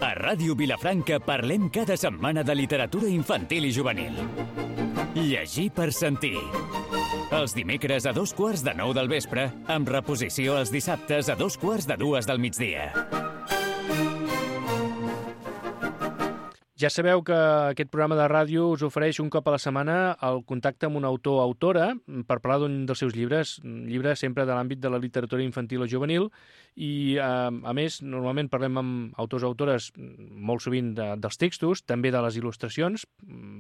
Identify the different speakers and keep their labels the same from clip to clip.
Speaker 1: A Ràdio Vilafranca parlem cada setmana de literatura infantil i juvenil. Llegir per sentir. Els dimecres a 8:45 del vespre, amb reposició els dissabtes a 2:45 del migdia.
Speaker 2: Ja sabeu que aquest programa de ràdio us ofereix un cop a la setmana el contacte amb un autor o autora per parlar d'un dels seus llibres, un llibre sempre de l'àmbit de la literatura infantil o juvenil, i a més normalment parlem amb autors o autores molt sovint dels textos, també de les il·lustracions,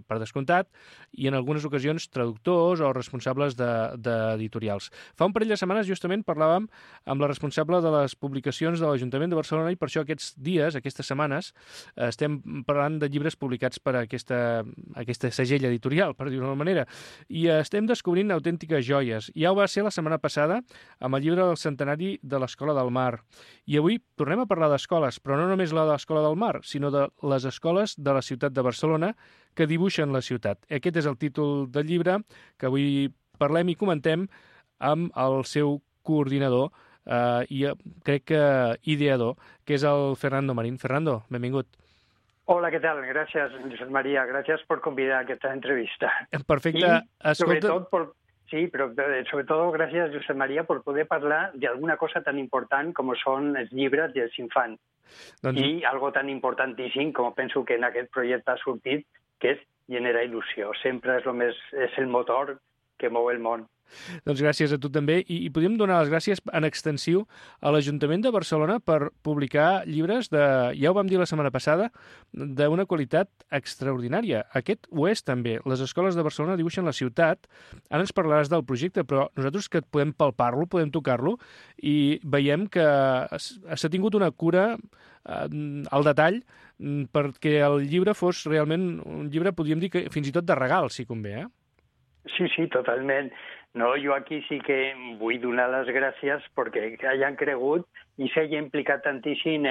Speaker 2: per descomptat, i en algunes ocasions traductors o responsables d'editorials. Fa un parell de setmanes justament parlàvem amb la responsable de les publicacions de l'Ajuntament de Barcelona i per això aquests dies, aquestes setmanes, estem parlant de llibres publicats per aquesta segell editorial, per dir-ho d'una manera, i estem descobrint autèntiques joies. Ja ho va ser la setmana passada amb el llibre del centenari de l'Escola del Mar. I avui tornem a parlar d'escoles, però no només la de l'Escola del Mar, sinó de les escoles de la ciutat de Barcelona que dibuixen la ciutat. Aquest és el títol del llibre que avui parlem i comentem amb el seu coordinador i crec que ideador, que és el Fernando Marín. Fernando, benvingut.
Speaker 3: Hola, ¿qué tal? Gracias, Josep María. Gracias por convidar a esta entrevista.
Speaker 2: Perfecte.
Speaker 3: Sobre todo, gracias, Josep María, por poder hablar de alguna cosa tan important com són els llibres dels infants. I algo tan importantíssim com penso que en aquest projecte ha sortit, que és generar il·lusió. Sempre és el motor que mou el món.
Speaker 2: Doncs gràcies a tu també. I podríem donar les gràcies en extensiu a l'Ajuntament de Barcelona per publicar llibres ja ho vam dir la setmana passada, d'una qualitat extraordinària. Aquest ho és també. Les escoles de Barcelona dibuixen la ciutat. Ara ens parlaràs del projecte, però nosaltres que podem palpar-lo, podem tocar-lo, i veiem que s'ha tingut una cura al detall perquè el llibre fos realment un llibre, podríem dir, que fins i tot de regal, si convé, eh?
Speaker 3: Sí, totalment. No, jo aquí sí que vull donar les gràcies perquè hayan cregut i s'hagi implicat tantíssim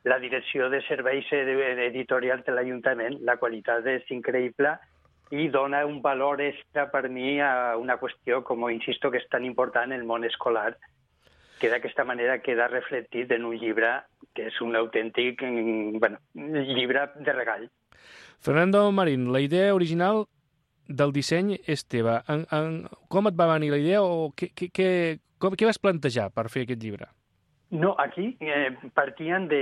Speaker 3: la direcció de serveis editorials de l'Ajuntament. La qualitat és increïble i dona un valor extra per mi a una qüestió, com insisto, que és tan important en el món escolar, que d'aquesta manera queda reflectit en un llibre que és un autèntic llibre de regal.
Speaker 2: Fernando Marín, la idea original del disseny és teva. Com et va venir la idea o què vas plantejar per fer aquest llibre?
Speaker 3: No, aquí partien de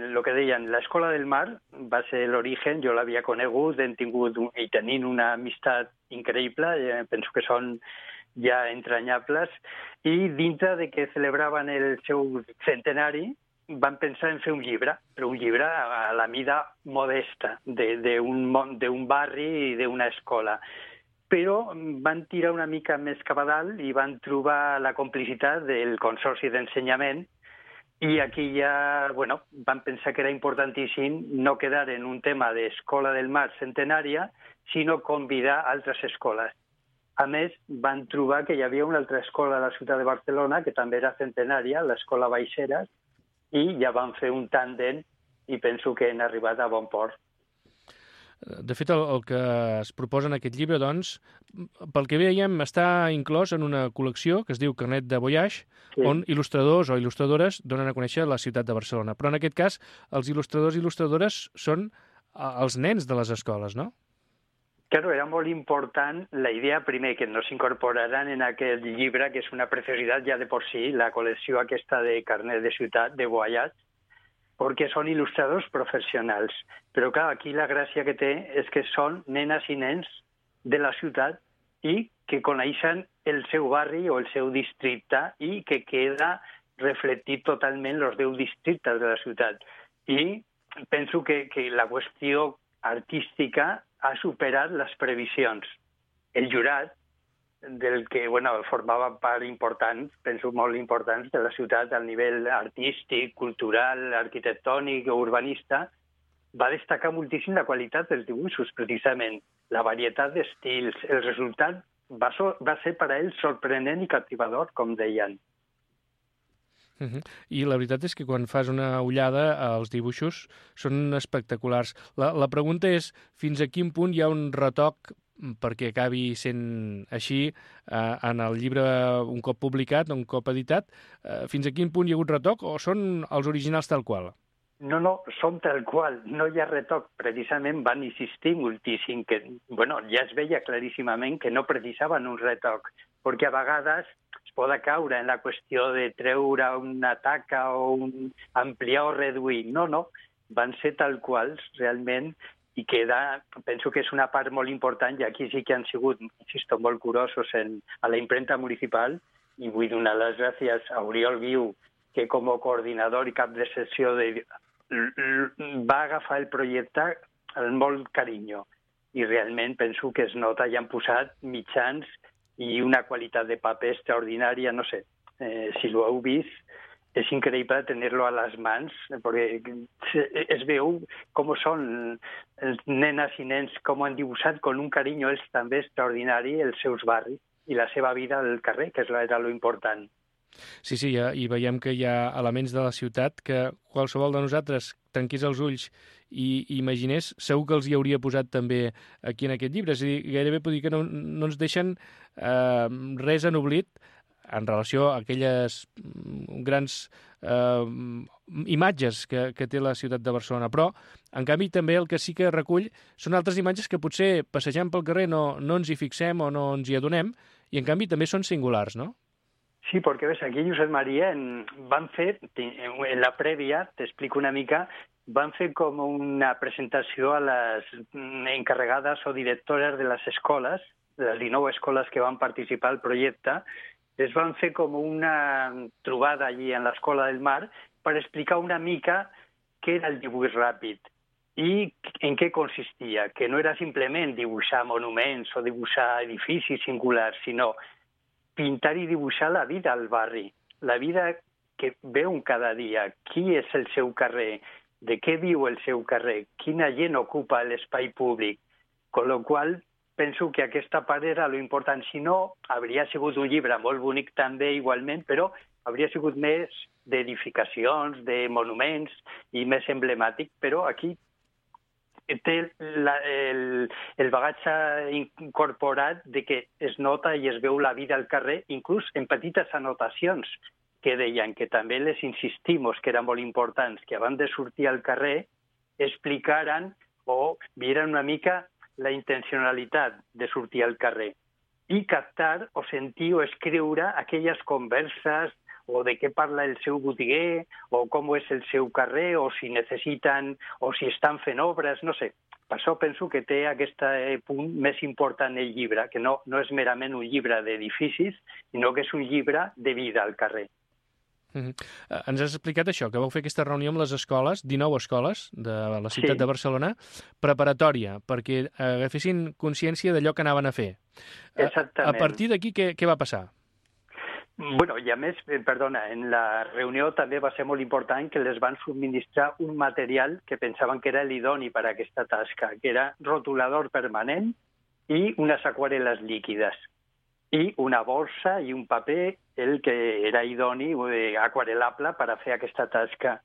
Speaker 3: lo que deien l'Escola del Mar, va ser l'origen, jo l'havia conegut, hem tingut i tenint una amistat increïble, penso que són ja entranyables, i dintre de que celebraven el seu centenari, van pensar en fer un llibre, però un llibre a la mida modesta d'un barri i d'una escola. Però van tirar una mica més cap a dalt i van trobar la complicitat del Consorci d'Ensenyament i aquí ja van pensar que era importantíssim no quedar en un tema d'Escola del Mar centenària, sinó convidar altres escoles. A més, van trobar que hi havia una altra escola a la ciutat de Barcelona que també era centenària, l'Escola Baixeres, i ja van fer un tàndem i penso que han arribat a bon port.
Speaker 2: De fet, el que es proposa en aquest llibre, doncs, pel que veiem, està inclòs en una col·lecció que es diu Carnet de Voyage, sí, on il·lustradors o il·lustradores donen a conèixer la ciutat de Barcelona. Però en aquest cas, els il·lustradors i il·lustradores són els nens de les escoles, no?
Speaker 3: Claro, era molt important la idea, primer, que no s'incorporaran en aquest llibre, que és una preciositat ja de por sí, la col·lecció aquesta de Carnet de Ciutat, de Voyage, perquè són il·lustradors professionals. Però, clar, aquí la gràcia que té és que són nenes i nens de la ciutat i que coneixen el seu barri o el seu districte i que queda reflectit totalment els 10 districtes de la ciutat. I penso que la qüestió artística ha superat les previsions. El jurat, del que formava part important, penso molt important, de la ciutat al nivell artístic, cultural, arquitectònic o urbanista, va destacar moltíssim la qualitat dels dibuixos, precisament, la varietat d'estils. El resultat va ser per a ells sorprenent i captivador, com deien.
Speaker 2: I la veritat és que quan fas una ullada als dibuixos són espectaculars. La pregunta és fins a quin punt hi ha un retoc perquè acabi sent així en el llibre un cop publicat, un cop editat. Fins a quin punt hi ha hagut retoc o són els originals tal qual?
Speaker 3: No, són tal qual, no hi ha retoc. Precisament van insistir moltíssim que, ja es veia claríssimament que no precisaven un retoc, perquè a vegades es pot caure en la qüestió de treure una taca o ampliar o reduir. No, van ser tal quals realment i penso que és una part molt important i aquí sí que han sigut, insisto, molt curosos a la impremta municipal i vull donar les gràcies a Oriol Guiu, que com a coordinador i cap de secció va agafar el projecte amb molt carinyo i realment penso que es nota i han posat mitjans i una qualitat de paper extraordinària, no sé, si ho heu vist, és increïble tenir-lo a les mans, perquè es veu com són els nenes i nens, com han dibuixat amb un carinyo ells també extraordinari els seus barris i la seva vida al carrer, que era lo important.
Speaker 2: Sí, i veiem que hi ha elements de la ciutat que qualsevol de nosaltres tanqués els ulls i imaginés, segur que els hi hauria posat també aquí en aquest llibre. És a dir, gairebé puc dir que no ens deixen res en oblit en relació a aquelles grans imatges que té la ciutat de Barcelona. Però, en canvi, també el que sí que recull són altres imatges que potser passejant pel carrer no ens hi fixem o no ens hi adonem, i en canvi també són singulars, no?
Speaker 3: Sí, perquè ves, aquí Josep Maria van fer, en la prèvia, t'explico una mica, van fer com una presentació a les encarregades o directores de les escoles, de les 19 escoles que van participar al projecte, es van fer com una trobada allí en l'Escola del Mar per explicar una mica què era el dibuix ràpid i en què consistia, que no era simplement dibuixar monuments o dibuixar edificis singulars, sinó pintar i dibuixar la vida al barri, la vida que veu cada dia, qui és el seu carrer, de què viu el seu carrer, quina gent ocupa l'espai públic, con lo qual penso que aquesta part era lo important. Si no, hauria sigut un llibre molt bonic també igualment, però hauria sigut més d'edificacions, de monuments i més emblemàtic, però aquí té el bagatge incorporat de que es nota i es veu la vida al carrer, inclús en petites anotacions que deien que també les insistimos que eren molt importants, que abans de sortir al carrer explicaran o vieran una mica la intencionalitat de sortir al carrer i captar o sentir o escriure aquelles converses o de què parla el seu botiguer, o com és el seu carrer, o si necessiten, o si estan fent obres, no sé. Per això penso que té aquest punt més important el llibre, que no és merament un llibre d'edificis, sinó que és un llibre de vida al carrer.
Speaker 2: Ens has explicat això, que vau fer aquesta reunió amb les escoles, 19 escoles de la ciutat de Barcelona, preparatòria, perquè agafessin consciència d'allò que anaven a fer.
Speaker 3: Exactament.
Speaker 2: A partir d'aquí, què va passar?
Speaker 3: I a més, en la reunió també va ser molt important que les van subministrar un material que pensaven que era l'idoni per a aquesta tasca, que era rotulador permanent i unes aquarel·les líquides. I una borsa i un paper, el que era idoni, aquarel·lable per a fer aquesta tasca.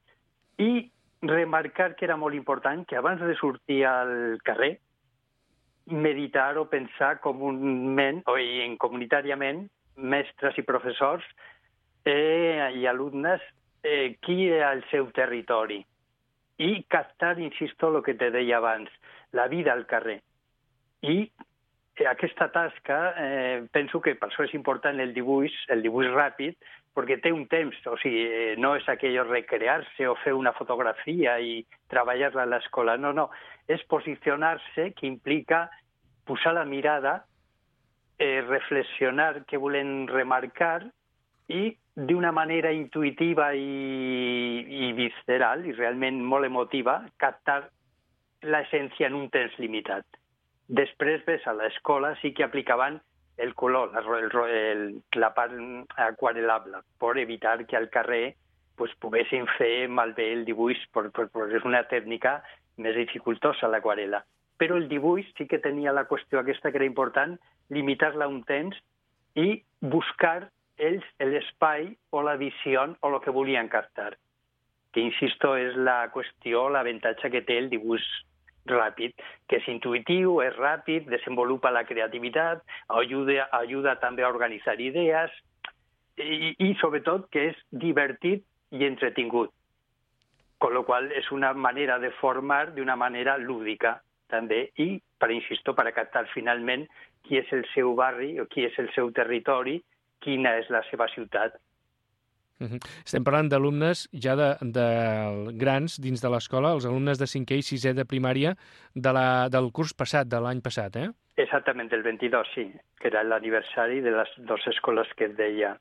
Speaker 3: I remarcar que era molt important que abans de sortir al carrer, meditar o pensar comunament o comunitàriament, mestres i professors i alumnes, qui era el seu territori. I captar, insisto, el que te deia abans, la vida al carrer. I aquesta tasca, penso que per això és important el dibuix ràpid, perquè té un temps, o sigui, no és aquello recrear-se o fer una fotografia i treballar-la a l'escola, no, és posicionar-se, que implica posar la mirada, reflexionar què volen remarcar i d'una manera intuïtiva i visceral i realment molt emotiva captar l'essència en un temps limitat. Després, a l'escola sí que aplicaven el color, la part aquarel·lable, per evitar que al carrer poguessin fer malbé el dibuix, perquè és una tècnica més dificultosa, l'aquarel·la. Però el dibuix sí que tenia la qüestió aquesta que era important, limitar-la un temps i buscar ells l'espai o la visió o el que volien captar. Que, insisto, és la qüestió, l'avantatge que té el dibuix ràpid, que és intuïtiu, és ràpid, desenvolupa la creativitat, ajuda també a organitzar idees i sobretot que és divertit i entretingut. Con lo qual és una manera de formar d'una manera lúdica també i, insisto, per captar finalment qui és el seu barri o qui és el seu territori, quina és la seva ciutat.
Speaker 2: Estem parlant d'alumnes ja de grans dins de l'escola, els alumnes de 5è i 6è de primària del curs passat, de l'any passat, eh?
Speaker 3: Exactament, el 22, sí, que era l'aniversari de les dues escoles que et deia.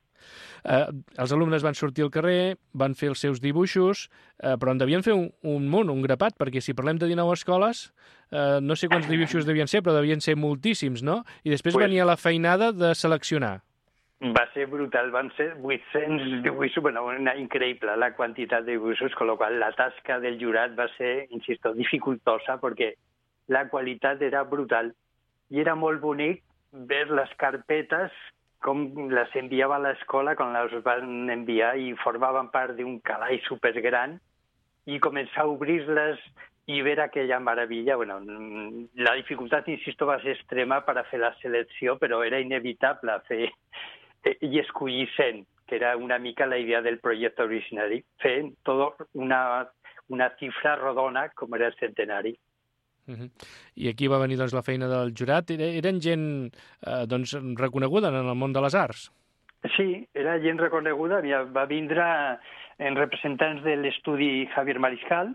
Speaker 2: Els alumnes van sortir al carrer, van fer els seus dibuixos, però en devien fer un munt, un grapat, perquè si parlem de 19 escoles, no sé quants dibuixos devien ser, però devien ser moltíssims, no? I després venia la feinada de seleccionar.
Speaker 3: Va ser brutal, van ser 800 dibuixos, bueno, increïble la quantitat de dibuixos, con lo qual la tasca del jurat va ser, insisto, dificultosa, perquè la qualitat era brutal. I era molt bonic ver les carpetes, com les enviava a l'escola, quan les van enviar, i formaven part d'un calaix supergran, i començar a obrir-les i veure aquella meravella. Bueno, la dificultat, insisto, va ser extrema per a fer la selecció, però era inevitable fer i escollir 100, que era una mica la idea del projecte originari, fer tot una xifra rodona com era el centenari.
Speaker 2: I aquí va venir la feina del jurat. Eren gent reconeguda en el món de les arts?
Speaker 3: Sí, era gent reconeguda. Va vindre en representants de l'estudi Javier Mariscal,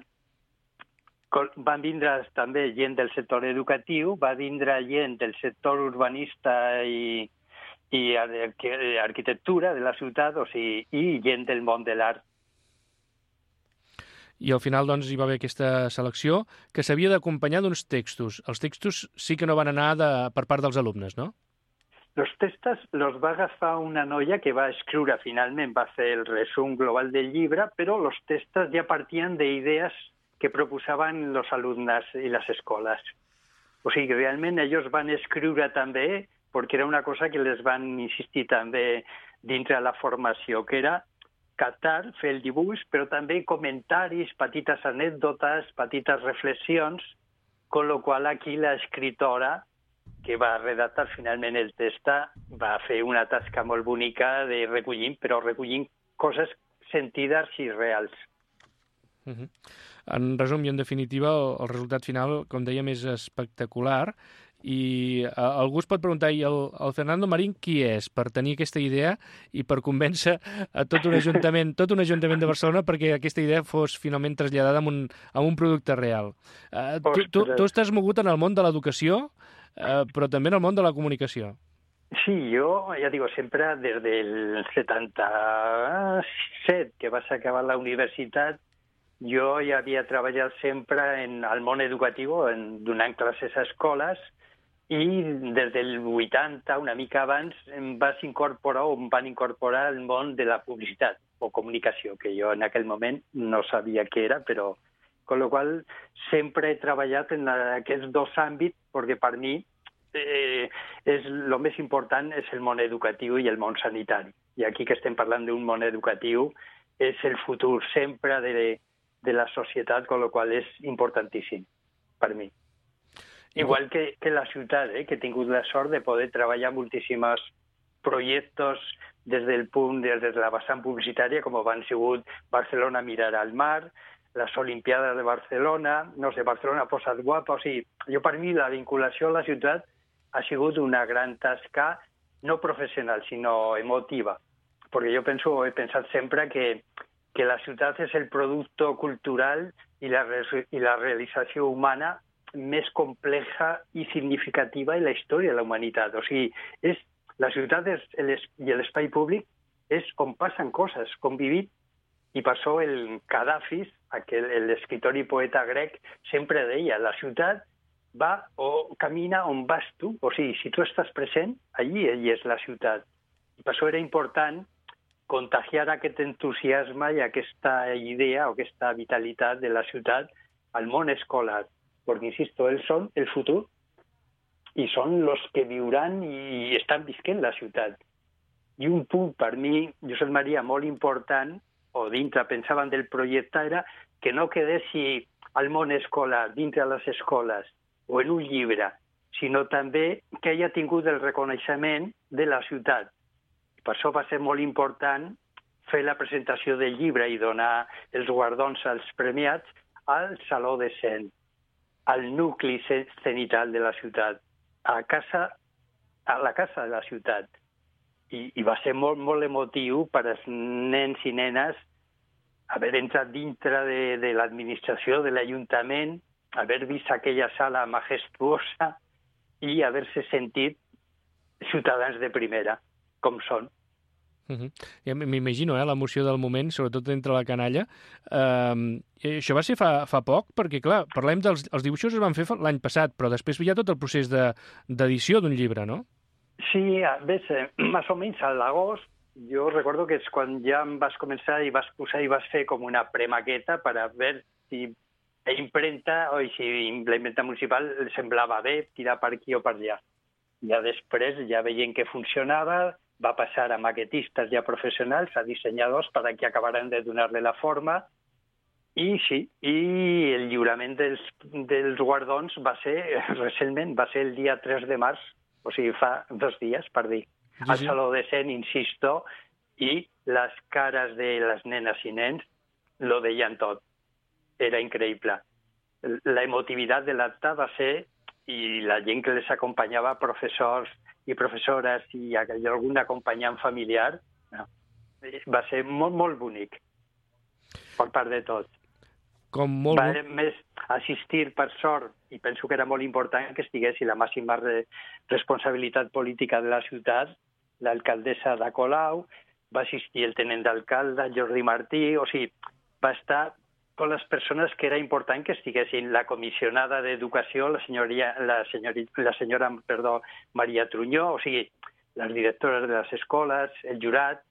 Speaker 3: van vindre també gent del sector educatiu, va vindre gent del sector urbanista i arquitectura de la ciutat, o sigui, i gent del món de l'art.
Speaker 2: I al final, doncs, hi va haver aquesta selecció que s'havia d'acompanyar d'uns textos. Els textos sí que no van anar per part dels alumnes, no?
Speaker 3: Els textos els va agafar una noia que va escriure finalment, va fer el resum global del llibre, però els textos ja partien d'idees que proposaven els alumnes i les escoles. O sigui, realment ells van escriure també, perquè era una cosa que les van insistir també dintre de la formació, que era captar, fer el dibuix, però també comentaris, petites anècdotes, petites reflexions, con lo qual aquí l'escriptora, que va redactar finalment el text, va fer una tasca molt bonica de recollint, però recollint coses sentides i reals.
Speaker 2: En resum i en definitiva, el resultat final, com dèiem, és espectacular. I algú es pot preguntar, i el Fernando Marín qui és per tenir aquesta idea i per convèncer a tot un ajuntament de Barcelona perquè aquesta idea fos finalment traslladada a un producte real? Tu estàs mogut en el món de l'educació, però també en el món de la comunicació.
Speaker 3: Sí, jo, ja digo, sempre des del 77, que vas acabar la universitat, jo ja havia treballat sempre al món educatiu, donant classes a escoles, i des del 80, una mica abans, em van incorporar al món de la publicitat o comunicació, que jo en aquell moment no sabia què era, però con lo qual sempre he treballat en aquests dos àmbits, perquè per mi el més important és el món educatiu i el món sanitari. I aquí que estem parlant d'un món educatiu és el futur sempre de la societat, con lo qual és importantíssim per mi. Igual que la ciutat, que he tingut la sort de poder treballar moltíssims projectes des de la vessant publicitària, com han sigut Barcelona mirar al mar, les Olimpiades de Barcelona, no sé, Barcelona posa't guapa, o sigui, jo per mi la vinculació a la ciutat ha sigut una gran tasca, no professional, sinó emotiva, perquè jo he pensat sempre que la ciutat és el producte cultural i la realització humana més complexa i significativa en la història de la humanitat. O sigui, la ciutat i l'espai públic és on passen coses, com vivim, i per això el Kadafis, l'escriptor i poeta grec, sempre deia, la ciutat va o camina on vas tu, o sigui, si tu estàs present, allí és la ciutat. I per això era important contagiar aquest entusiasme i aquesta idea o aquesta vitalitat de la ciutat al món escolar, perquè, insisto, ells són el futur i són els que viuran i estan visquent la ciutat. I un punt per mi, Josep Maria, molt important, o dintre pensaven del projecte, era que no quedessi al món escolar, dintre de les escoles, o en un llibre, sinó també que hagi tingut el reconeixement de la ciutat. Per això va ser molt important fer la presentació del llibre i donar els guardons als premiats al Saló de Cent, al nucli cenital de la ciutat, a la casa de la ciutat. I va ser molt, molt emotiu per als nens i nenes haver entrat dintre de l'administració, de l'Ajuntament, haver vist aquella sala majestuosa i haver-se sentit ciutadans de primera, com són.
Speaker 2: Ja m'imagino, l'emoció del moment, sobretot entre la canalla. Això va ser fa poc, perquè, clar, parlem dels dibuixos es van fer l'any passat, però després hi ha tot el procés d'edició d'un llibre, no?
Speaker 3: Sí, ves, més o menys a l'agost, jo recordo que és quan ja em vas començar i vas posar i vas fer com una premaqueta per a veure si impremta o si la impremta municipal semblava bé tirar per aquí o per allà. Ja després, ja veient que funcionava, va passar a maquetistes ja professionals, a dissenyadors, per a que acabaran de donar-li la forma. I sí, i el lliurament dels guardons va ser, recentment, va ser el dia 3 de març, o sigui, fa 2 dies, per dir. Al Saló de Cent, insisto, i les cares de les nenes i nens lo deien tot. Era increïble. La emotivitat de l'acte va ser, i la gent que les acompanyava, professors i professores i algun acompanyant familiar, va ser molt, molt bonic, per part de tots. Va més assistir, per sort, i penso que era molt important que estigués la màxima responsabilitat política de la ciutat, l'alcaldessa de Colau, va assistir el tenent d'alcalde, Jordi Martí, o sigui, va estar con les persones que era important que estiguessin, la comissionada d'Educació, la senyora Maria Trunyó, o sigui, les directores de les escoles, el jurat,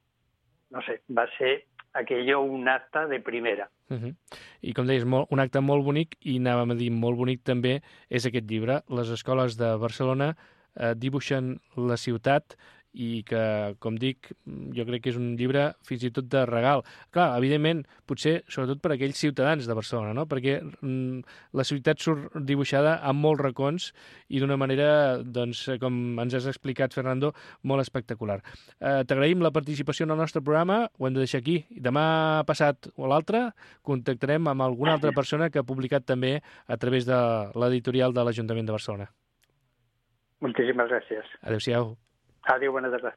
Speaker 3: no sé, va ser aquello un acte de primera.
Speaker 2: I com deies, un acte molt bonic, i anàvem a dir molt bonic també, és aquest llibre. Les escoles de Barcelona dibuixen la ciutat, i que, com dic, jo crec que és un llibre fins i tot de regal. Clar, evidentment, potser sobretot per aquells ciutadans de Barcelona, no? Perquè la ciutat surt dibuixada amb molts racons i d'una manera, doncs, com ens has explicat, Fernando, molt espectacular. T'agraïm la participació en el nostre programa, ho hem de deixar aquí. Demà passat o l'altre contactarem amb alguna altra persona que ha publicat també a través de l'editorial de l'Ajuntament de Barcelona.
Speaker 3: Moltíssimes gràcies.
Speaker 2: Adéu-siau.
Speaker 3: Adéu, bona tarda.